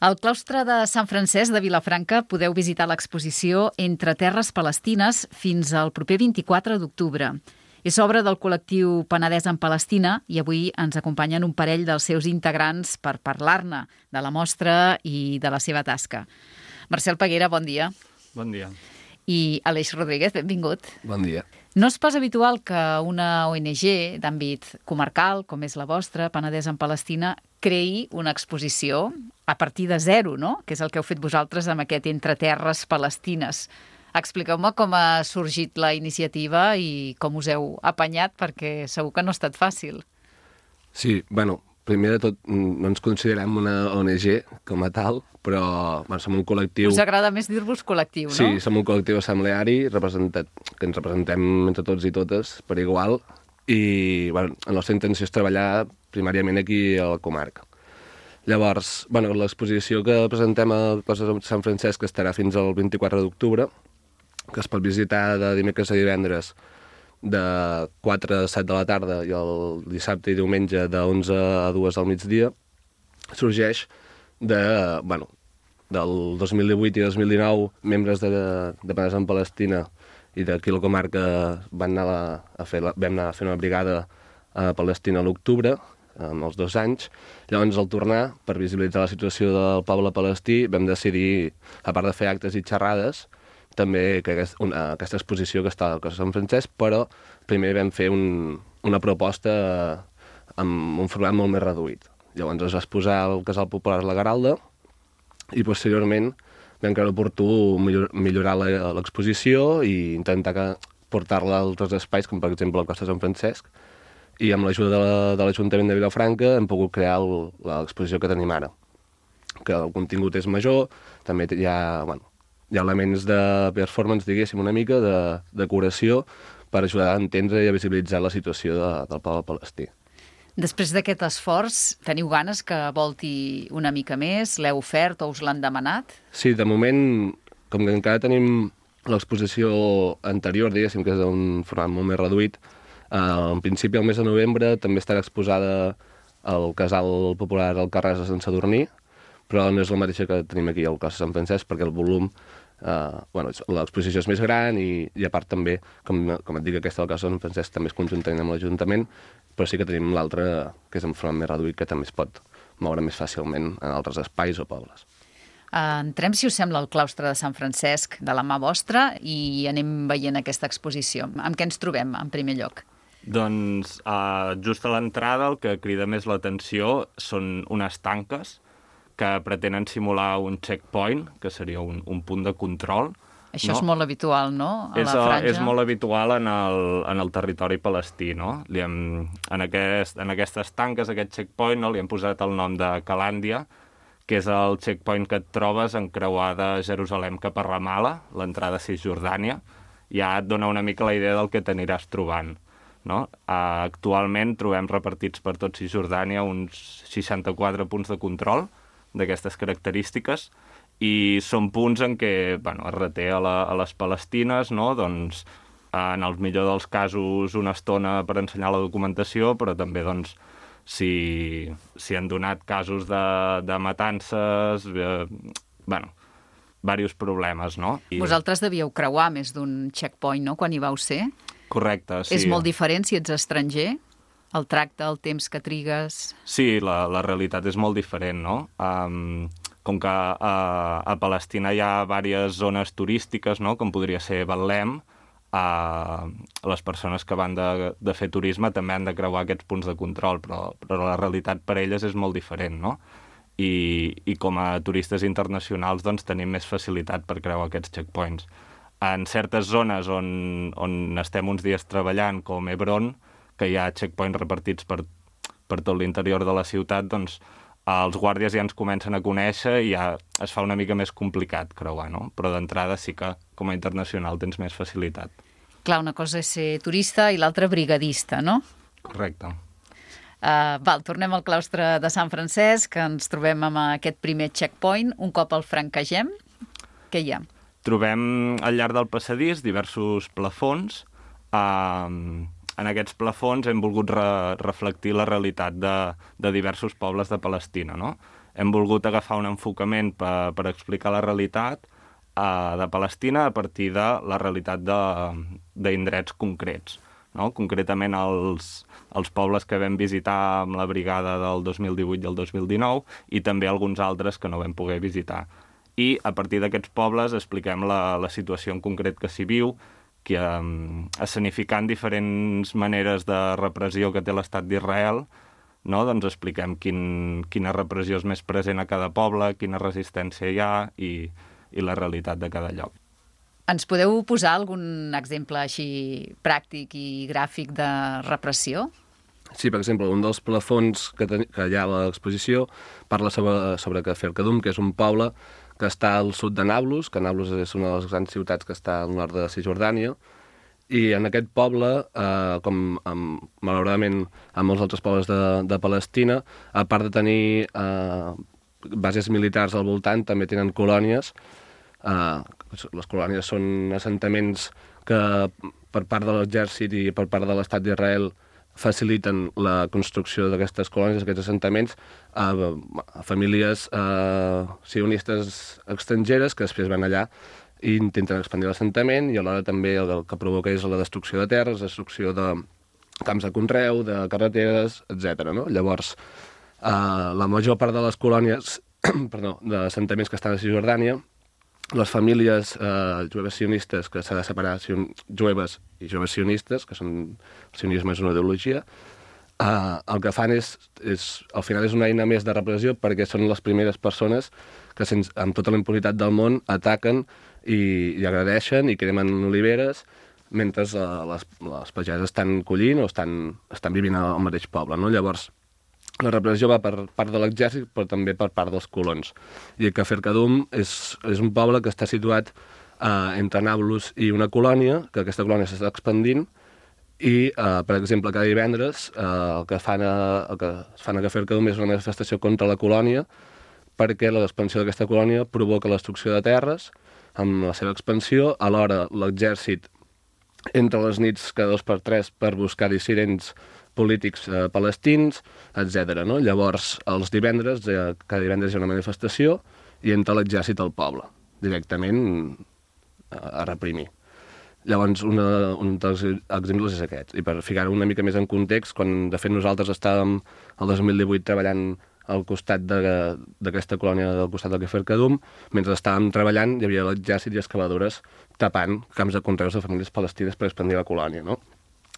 Al claustre de Sant Francesc de Vilafranca podeu visitar l'exposició Entre terres palestines fins al proper 24 d'octubre. És obra del col·lectiu Penedès en Palestina i avui ens acompanyen un parell dels seus integrants per parlar-ne de la mostra i de la seva tasca. Marcel Peguera, bon dia. Bon dia. I Aleix Rodríguez, benvingut. Bon dia. No és pas habitual que una ONG d'àmbit comarcal, com és la vostra, Penedès en Palestina, creï una exposició a partir de zero, no? Que és el que heu fet vosaltres amb aquest Entre terres palestines. Expliqueu-me com ha sorgit la iniciativa i com us heu apanyat, perquè segur que no ha estat fàcil. Sí, primer de tot, no ens considerem una ONG com a tal, però som un col·lectiu... Us agrada més dir-vos col·lectiu, no? Sí, som un col·lectiu assembleari que ens representem entre tots i totes per igual i la nostra intenció és treballar primàriament aquí a la comarca. Llavors, l'exposició que presentem a Claustre de Sant Francesc estarà fins al 24 d'octubre, que es pot visitar de dimecres a divendres de 4 a 7 de la tarda i el dissabte i diumenge de 11 a 2 del migdia. Sorgeix del 2018 i 2019 membres de Penedès en Palestina i d'aquí a la comarca vam anar a fer una brigada a Palestina a l'octubre, amb els 2 anys. Llavors, al tornar, per visibilitzar la situació del poble palestí, vam decidir, a part de fer actes i xerrades, també que aquesta exposició que està al Claustre de Sant Francesc, però primer vam fer una proposta amb un format molt més reduït. Llavors es va exposar al Casal Popular La Garalda i posteriorment vam creure oportú millorar l'exposició i intentar portar-la a altres espais, com per exemple al Claustre de Sant Francesc, i amb l'ajuda de l'Ajuntament de Vilafranca hem pogut crear l'exposició que tenim ara, que el contingut és major, també hi ha elements de performance, diguéssim, una mica, de decoració, per ajudar a entendre i a visibilitzar la situació del poble palestí. Després d'aquest esforç, teniu ganes que volti una mica més? L'heu ofert o us l'han demanat? Sí, de moment, com que encara tenim l'exposició anterior, diguéssim, que és d'un format molt més reduït, en principi, al mes de novembre, també estarà exposada al Casal Popular Alcarràs de Sant Sadurní, però no és la mateixa que tenim aquí al Claustre de Sant Francesc, perquè el volum, l'exposició és més gran i a part també, com et dic, aquesta del Claustre de Sant Francesc també és conjuntament amb l'Ajuntament, però sí que tenim l'altra, que és en format més reduït, que també es pot moure més fàcilment en altres espais o pobles. Entrem, si us sembla, al Claustre de Sant Francesc de la mà vostra i anem veient aquesta exposició. Amb què ens trobem, en primer lloc? Doncs just a l'entrada el que crida més l'atenció són unes tanques que pretenen simular un checkpoint, que seria un punt de control. Això és molt habitual, no?, a la franja. És molt habitual en el territori palestí, no? En aquestes tanques, aquest checkpoint, li hem posat el nom de Calàndia, que és el checkpoint que et trobes en creuar de Jerusalem cap a Ramala, l'entrada a Cisjordània. Ja et dona una mica la idea del que t'aniràs trobant, no? Actualment trobem repartits per tot Cisjordània uns 64 punts de control d'aquestes característiques i són punts en què es reté a les palestines, no? Doncs, en el millor dels casos una estona per ensenyar la documentació, però també si han donat casos de matances, diversos problemes, no? Vosaltres devíeu creuar més d'un checkpoint, no?, quan hi vau ser? Correcte, sí. És molt diferent si ets estranger? El tracte, el temps que trigues... Sí, la realitat és molt diferent, no? Com que a Palestina hi ha diverses zones turístiques, no?, com podria ser Betlem, les persones que van de fer turisme també han de creuar aquests punts de control, però la realitat per elles és molt diferent, no? I com a turistes internacionals doncs, tenim més facilitat per creuar aquests checkpoints. En certes zones on estem uns dies treballant, com Hebron, que hi ha checkpoints repartits per tot l'interior de la ciutat, doncs els guàrdies ja ens comencen a conèixer i ja es fa una mica més complicat creuar, no? Però d'entrada sí que com a internacional tens més facilitat. Clar, una cosa és ser turista i l'altra brigadista, no? Correcte. Tornem al Claustre de Sant Francesc, que ens trobem amb aquest primer checkpoint. Un cop el franquegem, què hi ha? Trobem al llarg del passadís diversos plafons. En aquests plafons hem volgut reflectir la realitat de diversos pobles de Palestina, no? hem volgut agafar un enfocament per explicar la realitat de Palestina a partir de la realitat d'indrets concrets, no? Concretament els pobles que vam visitar amb la brigada del 2018 i el 2019 i també alguns altres que no vam poder visitar. I a partir d'aquests pobles expliquem la situació en concret que s'hi viu, que escenificant diferents maneres de repressió que té l'estat d'Israel, no? Doncs expliquem quina repressió és més present a cada poble, quina resistència hi ha i la realitat de cada lloc. Ens podeu posar algun exemple així pràctic i gràfic de repressió? Sí, per exemple, un dels plafons que hi ha a l'exposició parla sobre Kafr Kadum, que és un poble que està al sud de Nablus, que Nablus és una de les grans ciutats que està al nord de Cisjordània, i en aquest poble, malauradament amb molts altres pobles de Palestina, a part de tenir bases militars al voltant, també tenen colònies. Les colònies són assentaments que per part de l'exèrcit i per part de l'estat d'Israel faciliten la construcció d'aquestes colònies, d'aquests assentaments, a famílies sionistes estrangeres que després van allà i intenten expandir l'assentament, i alhora també el que provoca és la destrucció de terres, destrucció de camps de conreu, de carreteres, etc. No? Llavors, la major part de les colònies, d'assentaments que estan a Cisjordània, les famílies jueves sionistes, que s'ha de separar jueves i jueves sionistes, que són, el sionisme és una ideologia, el que fan és, al final és una eina més de repressió, perquè són les primeres persones que amb tota la impunitat del món ataquen i agredeixen i cremen oliveres mentre les pageses estan collint o estan vivint al mateix poble. No? Llavors, la repressió va per part de l'exèrcit, però també per part dels colons. I Kafr Kadum és un poble que està situat entre Nablus i una colònia, que aquesta colònia s'està expandint, i, per exemple, cada divendres el que es fan a Kafr Kadum és una manifestació contra la colònia, perquè l'expansió d'aquesta colònia provoca la destrucció de terres amb la seva expansió. Alhora, l'exèrcit entra a les nits cada 2 per 3 per buscar dissidents polítics palestins, etc. No? Llavors, els divendres, cada divendres hi ha una manifestació i entra l'exèrcit al poble, directament a reprimir. Llavors, un dels exemples és aquest. I per ficar-ho una mica més en context, quan de fet nosaltres estàvem el 2018 treballant al costat d'aquesta colònia, al costat del Kafr Kadum, mentre estàvem treballant hi havia l'exèrcit i excavadores tapant camps de conreus de famílies palestines per expandir la colònia, no?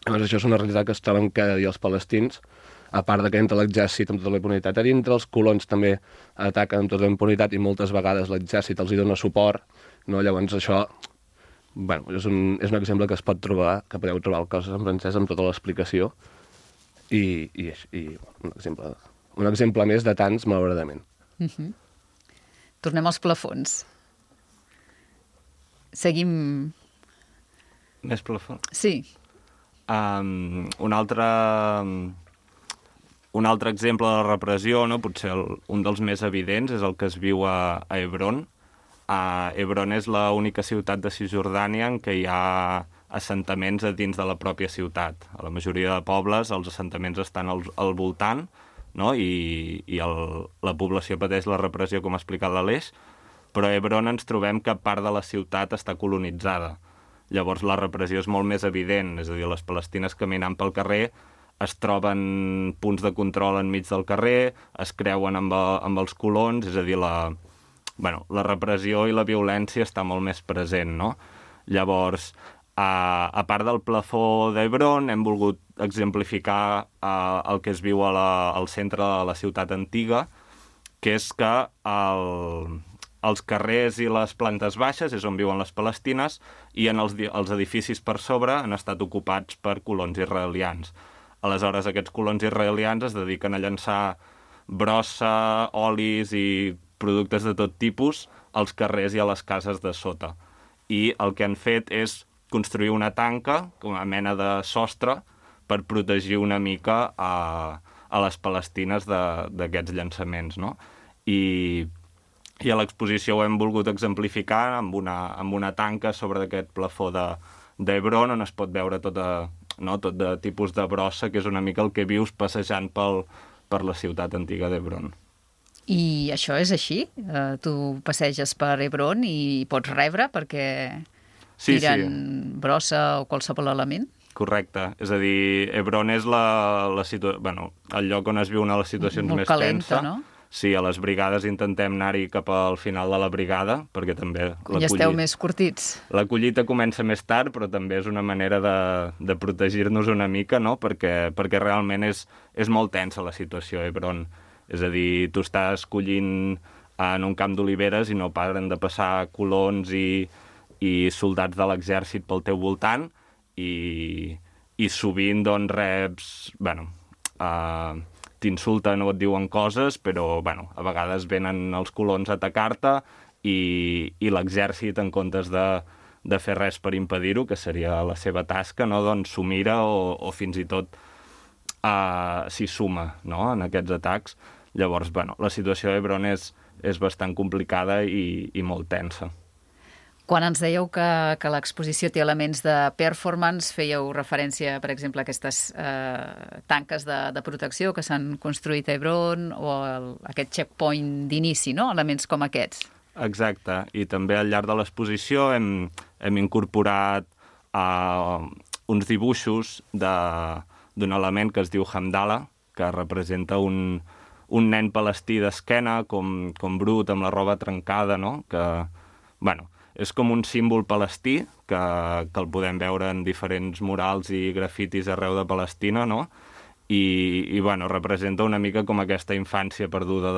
Llavors, això és una realitat que es troben cada dia els palestins, a part que entra l'exèrcit amb tota la impunitat a dintre, els colons també ataquen amb tota la impunitat i moltes vegades l'exèrcit els hi dona suport, no? Llavors això, bueno, és un exemple que es pot trobar, que podeu trobar al Coses en francès amb tota l'explicació, i un exemple més de tants, malauradament. Tornem als plafons. Seguim... Més plafons? Sí. Un altre exemple de repressió, no? Potser un dels més evidents, és el que es viu a Hebron. Hebron és l'única ciutat de Cisjordània en què hi ha assentaments a dins de la pròpia ciutat. A la majoria de pobles els assentaments estan al voltant, no? I la població pateix la repressió, com ha explicat l'Aleix, però a Hebron ens trobem que part de la ciutat està colonitzada. Llavors la repressió és molt més evident, és a dir, les palestines caminant pel carrer es troben punts de control enmig del carrer, es creuen amb els colons, és a dir, la repressió i la violència està molt més present, no? Llavors, a part del plafó d'Hebron, hem volgut exemplificar el que es viu al centre de la ciutat antiga, que és que els carrers i les plantes baixes és on viuen les palestines i els edificis per sobre han estat ocupats per colons israelians. Aleshores, aquests colons israelians es dediquen a llançar brossa, olis i productes de tot tipus als carrers i a les cases de sota. I el que han fet és construir una tanca, una mena de sostre, per protegir una mica a les palestines d'aquests llançaments, no? I a l'exposició ho hem volgut exemplificar amb una tanca sobre aquest plafó d'Hebron, on es pot veure tot de tipus de brossa, que és una mica el que vius passejant per la ciutat antiga d'Hebron. I això és així? Tu passeges per Hebron i pots rebre perquè tiren brossa o qualsevol element? Correcte. És a dir, Hebron és el lloc on es viu una de les situacions molt més calenta, tensa. no? Sí, a les brigades intentem anar-hi cap al final de la brigada, perquè també... Ja esteu més curtits. La collita comença més tard, però també és una manera de protegir-nos una mica, no? Perquè realment és molt tensa la situació a Hebron. És a dir, tu estàs collint en un camp d'oliveres i no paren de passar colons i soldats de l'exèrcit pel teu voltant i sovint doncs reps... t'insulten o et diuen coses, però a vegades venen els colons a atacar-te i l'exèrcit, en comptes de fer res per impedir-ho, que seria la seva tasca, no? Doncs s'ho mira o fins i tot s'hi suma, no? En aquests atacs. Llavors, la situació a Hebron és bastant complicada i molt tensa. Quan ens dèieu que l'exposició té elements de performance, fèieu referència, per exemple, a aquestes tanques de protecció que s'han construït a Hebron o aquest checkpoint d'inici, no? Elements com aquests. Exacte, i també al llarg de l'exposició hem incorporat uns dibuixos d'un element que es diu Hamdala, que representa un nen palestí d'esquena, com brut, amb la roba trencada, no? Que, és com un símbol palestí, que el podem veure en diferents murals i grafitis arreu de Palestina, no? I representa una mica com aquesta infància perduda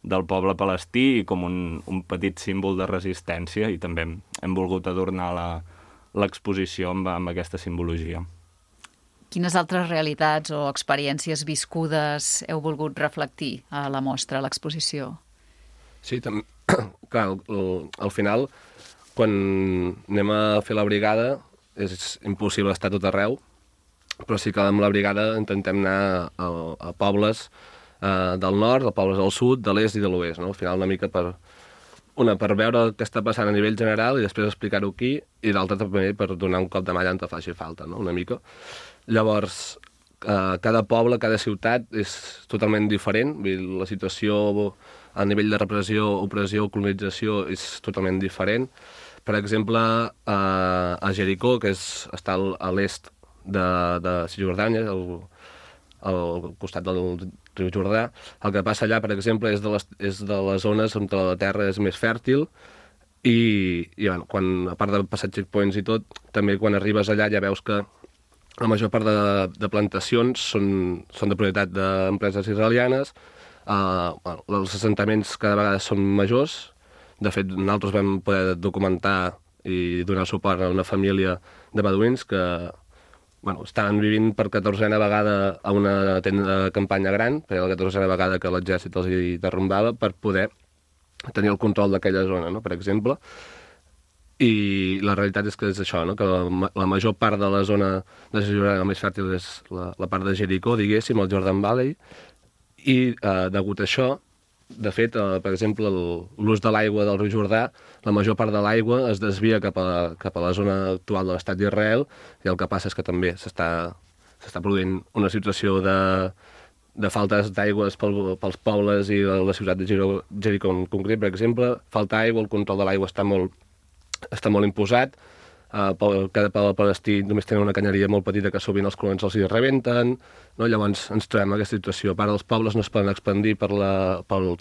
del poble palestí i com un petit símbol de resistència, i també hem volgut adornar l'exposició amb aquesta simbologia. Quines altres realitats o experiències viscudes heu volgut reflectir a la mostra, a l'exposició? Sí, clar, al final, quan anem a fer la brigada, és impossible estar tot arreu, però sí que amb la brigada intentem anar a pobles del nord, a pobles del sud, de l'est i de l'oest, no? Al final una mica per veure el que està passant a nivell general i després explicar-ho aquí, i l'altra també per donar un cop de mà on te faci falta, no? Una mica. Llavors, cada poble, cada ciutat és totalment diferent, la situació a nivell de repressió, opressió, colonització és totalment diferent. Per exemple, a Jericó, que està a l'est de Cisjordània, al costat del riu Jordà, el que passa allà, per exemple, és de les zones on la terra és més fèrtil i quan, a part de passar checkpoints i tot, també quan arribes allà ja veus que la major part de plantacions són de propietat d'empreses israelianes. Els assentaments cada vegada són majors. De fet, nosaltres vam poder documentar i donar suport a una família de beduïns que estaven vivint per 14a vegada a una tenda de campanya gran, perquè la 14a vegada que l'exèrcit els hi derrumbava, per poder tenir el control d'aquella zona, no? Per exemple. I la realitat és que és això, no? Que la major part de la zona de Cisjordània, la més fèrtil, és la part de Jericó, diguéssim, el Jordan Valley, i degut a això, de fet, per exemple, l'ús de l'aigua del riu Jordà, la major part de l'aigua es desvia cap a la zona actual de l'estat d'Israel, i el que passa és que també s'està produint una situació de faltes d'aigües pels pobles i la ciutat de Jericó en concret, per exemple. Falta aigua, el control de l'aigua està molt imposat. Cada poble palestí només tenen una canyeria molt petita que sovint els colons els hi rebenten, no? Llavors ens trobem en aquesta situació. A part, els pobles no es poden expandir pel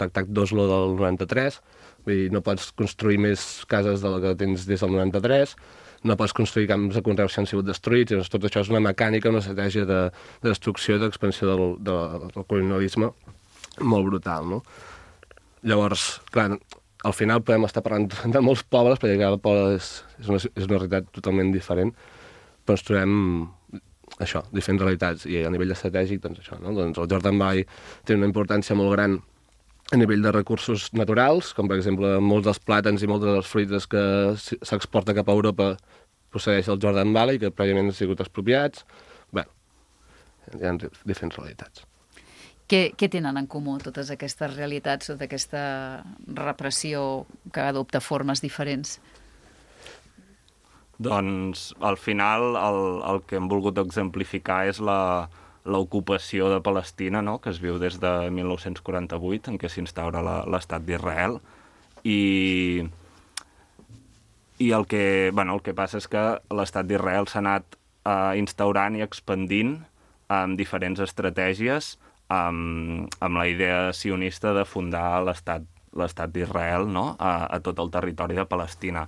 Tractat d'Oslo del 93, vull dir, no pots construir més cases de la que tens des del 93, no pots construir camps de conreus que han sigut destruïts. Llavors, tot això és una mecànica, una estratègia de destrucció i d'expansió del colonialisme molt brutal, no? Llavors, clar, al final podem estar parlant de molts pobles, perquè cada poble és una realitat totalment diferent, però ens trobem això, diferents realitats, i a nivell estratègic, doncs això, no? Doncs el Jordan Valley té una importància molt gran a nivell de recursos naturals, com per exemple molts dels plàtans i moltes de les fruites que s'exporta cap a Europa procedeix del Jordan Valley, que prèviament han sigut expropiats. Bé, hi ha diferents realitats. Què tenen en comú totes aquestes realitats o d'aquesta repressió que adopta formes diferents? Doncs, al final, el que hem volgut exemplificar és l'ocupació de Palestina, no?, que es viu des de 1948, en què s'instaura l'estat d'Israel, i el que passa és que l'estat d'Israel s'ha anat instaurant i expandint amb diferents estratègies, amb la idea sionista de fundar l'estat d'Israel, no?, a tot el territori de Palestina.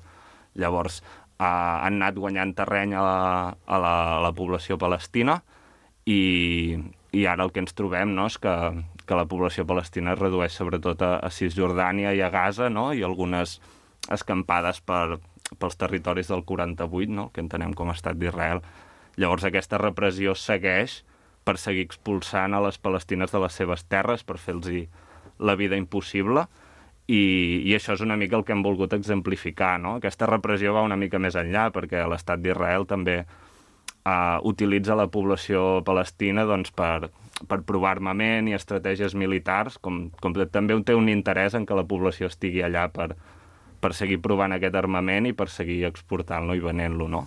Llavors, han anat guanyant terreny a la població palestina i ara el que ens trobem, no?, és que la població palestina es redueix sobretot a Cisjordània i a Gaza, no?, i algunes escampades pels territoris del 48, no?, que entenem com a estat d'Israel. Llavors aquesta repressió segueix per seguir expulsant a les palestines de les seves terres, per fer-los la vida impossible, i això és una mica el que hem volgut exemplificar, no? Aquesta repressió va una mica més enllà, perquè l'estat d'Israel també utilitza la població palestina doncs, per provar armament i estratègies militars, com també té un interès en que la població estigui allà per seguir provant aquest armament i per seguir exportant-lo i venent-lo, no?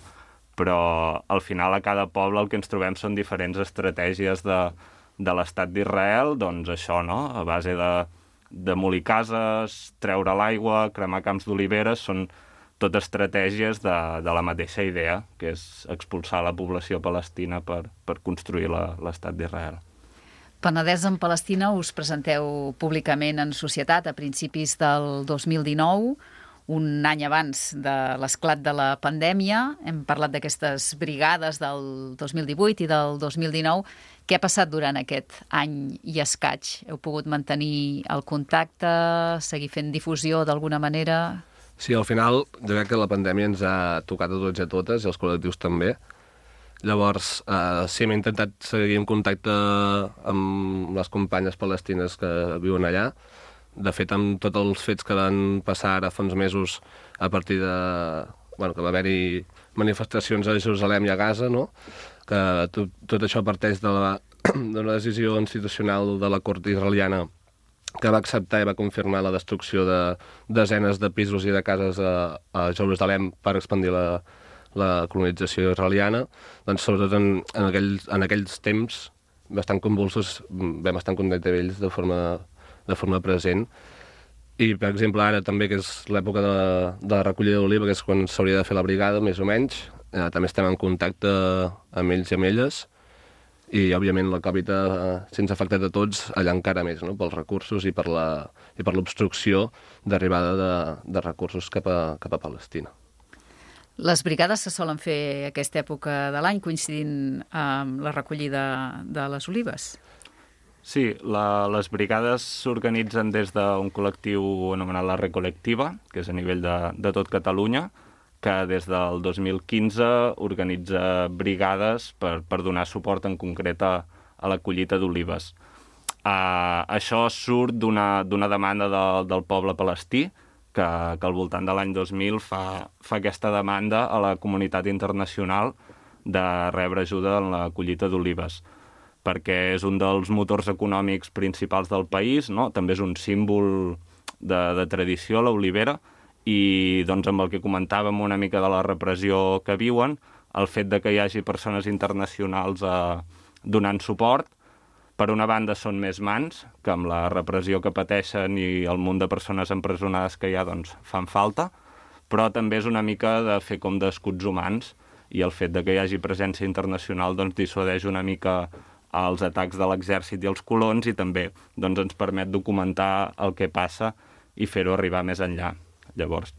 Però al final a cada poble el que ens trobem són diferents estratègies de l'estat d'Israel, doncs això, no?, a base de demolir cases, treure l'aigua, cremar camps d'oliveres, són tot estratègies de la mateixa idea, que és expulsar la població palestina per construir l'estat d'Israel. Penedès en Palestina us presenteu públicament en societat a principis del 2019, un any abans de l'esclat de la pandèmia. Hem parlat d'aquestes brigades del 2018 i del 2019. Què ha passat durant aquest any i escaig? Heu pogut mantenir el contacte, seguir fent difusió d'alguna manera? Sí, al final, jo crec que la pandèmia ens ha tocat a tots i a totes, i els col·lectius també. Llavors, sí, hem intentat seguir en contacte amb les companyes palestines que viuen allà. De fet, amb tots els fets que van passar ara fa uns mesos a partir de... que va haver-hi manifestacions a Jerusalem i a Gaza, no?, que tot això parteix d'una decisió institucional de la cort israeliana que va acceptar i va confirmar la destrucció de desenes de pisos i de cases a Jerusalem per expandir la colonització israeliana. Doncs, sobretot en aquells temps bastant convulsos, vam estar en contacte amb ells de forma present. I, per exemple, ara també, que és l'època de la recollida d'oliva, que és quan s'hauria de fer la brigada, més o menys, també estem en contacte amb ells i amb elles, i, òbviament, la Covid se'ns ha afectat a tots allà encara més, no?, pels recursos i per l'obstrucció d'arribada de recursos cap a Palestina. Les brigades se solen fer aquesta època de l'any, coincidint amb la recollida de les olives? Sí, les brigades s'organitzen des d'un col·lectiu anomenat la Recolectiva, que és a nivell de tot Catalunya, que des del 2015 organitza brigades per donar suport en concret a la collita d'olives. Això surt d'una demanda del poble palestí, que al voltant de l'any 2000 fa aquesta demanda a la comunitat internacional de rebre ajuda en la collita d'olives, perquè és un dels motors econòmics principals del país, no? També és un símbol de tradició, l'olivera, i doncs amb el que comentàvem una mica de la repressió que viuen, el fet de que hi hagi persones internacionals donant suport, per una banda són més mans, que amb la repressió que pateixen i el munt de persones empresonades que hi ha, doncs fan falta, però també és una mica de fer com d'escuts humans, i el fet de que hi hagi presència internacional doncs dissuadeix una mica els atacs de l'exèrcit i els colons, i també doncs, ens permet documentar el que passa i fer-ho arribar més enllà. Llavors,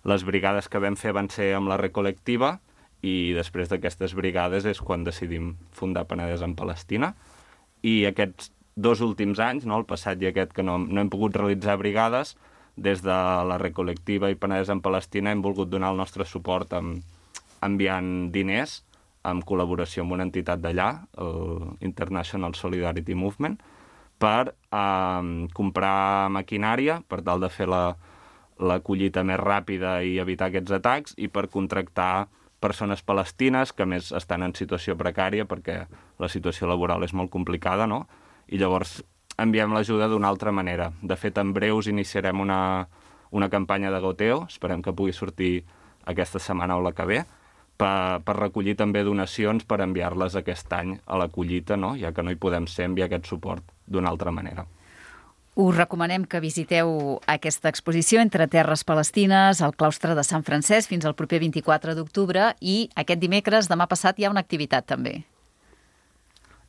les brigades que vam fer van ser amb la Recolectiva, i després d'aquestes brigades és quan decidim fundar Penedès en Palestina. I aquests 2 últims anys, no, el passat i aquest, que no hem pogut realitzar brigades, des de la Recolectiva i Penedès en Palestina hem volgut donar el nostre suport enviant diners, en col·laboració amb una entitat d'allà, el International Solidarity Movement, per comprar maquinària, per tal de fer la collita més ràpida i evitar aquests atacs, i per contractar persones palestines que més estan en situació precària perquè la situació laboral és molt complicada, no? I llavors enviem l'ajuda d'una altra manera. De fet, en breus iniciarem una campanya de goteo, esperem que pugui sortir aquesta setmana o la que ve, per recollir també donacions per enviar-les aquest any a la collita, no? Ja que no hi podem ser, enviar aquest suport d'una altra manera. Us recomanem que visiteu aquesta exposició Entre terres palestines al claustre de Sant Francesc fins al proper 24 d'octubre i aquest dimecres, demà passat, hi ha una activitat també.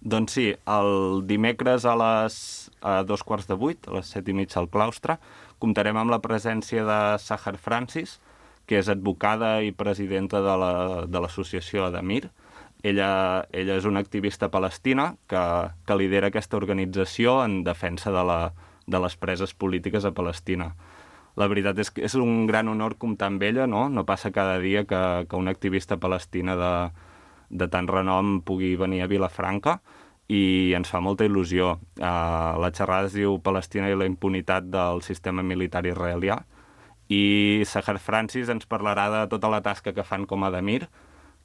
Doncs sí, el dimecres a 7:15, a les 7:30 al claustre, comptarem amb la presència de Sahar Francis, que és advocada i presidenta de l'associació Adamir. Ella és una activista palestina que lidera aquesta organització en defensa de les preses polítiques a Palestina. La veritat és que és un gran honor comptar amb ella, no? No passa cada dia que una activista palestina de tant renom pugui venir a Vilafranca i ens fa molta il·lusió. La xerrada es diu Palestina i la impunitat del sistema militar israelià i Sahar Francis ens parlarà de tota la tasca que fan com a Adamir,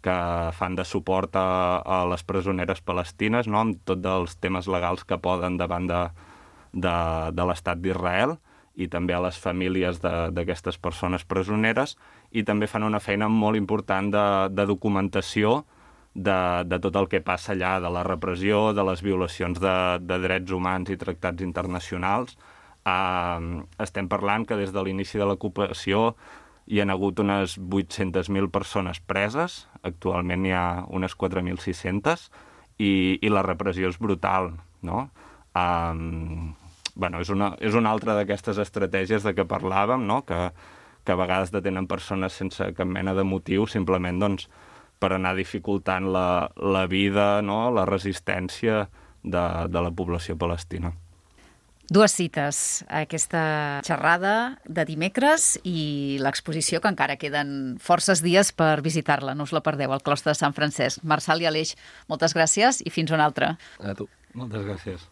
que fan de suport a les presoneres palestines, no? Amb tots els temes legals que poden davant de l'estat d'Israel i també a les famílies d'aquestes persones presoneres, i també fan una feina molt important de documentació de tot el que passa allà, de la repressió, de les violacions de drets humans i tractats internacionals. Estem parlant que des de l'inici de l'ocupació hi ha hagut unes 800.000 persones preses, actualment hi ha unes 4.600, i la repressió és brutal, no? És una altra d'aquestes estratègies de què parlàvem, no? Que a vegades detenen persones sense cap mena de motiu, simplement doncs, per anar dificultant la vida, no? La resistència de la població palestina. Dues cites, aquesta xerrada de dimecres i l'exposició, que encara queden forces dies per visitar-la. No us la perdeu, al claustre de Sant Francesc. Marçal i Aleix, moltes gràcies i fins una altra. A tu. Moltes gràcies.